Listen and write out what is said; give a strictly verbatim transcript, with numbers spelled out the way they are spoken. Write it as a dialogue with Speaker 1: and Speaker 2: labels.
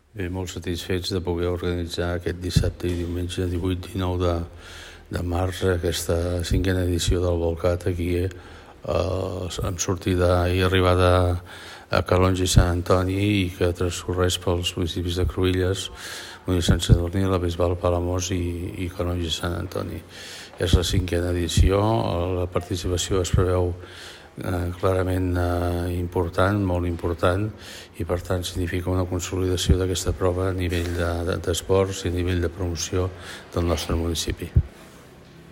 Speaker 1: Bé, molt satisfets de poder organitzar aquest dissabte i diumenge divuit i dinou de, de març aquesta cinquena edició del Volcat aquí eh, amb sortida i arribada a Calonge i Sant Antoni i que transcorreix pels municipis de Cruïlles, Molins de Sant Sadurní, la Bisbal, Palamós i, i Calonge i Sant Antoni. És la cinquena edició, la participació es preveu Eh, clarament eh, important, molt important, i per tant significa una consolidació d'aquesta prova a nivell de, de, d'esports i a nivell de promoció del nostre municipi.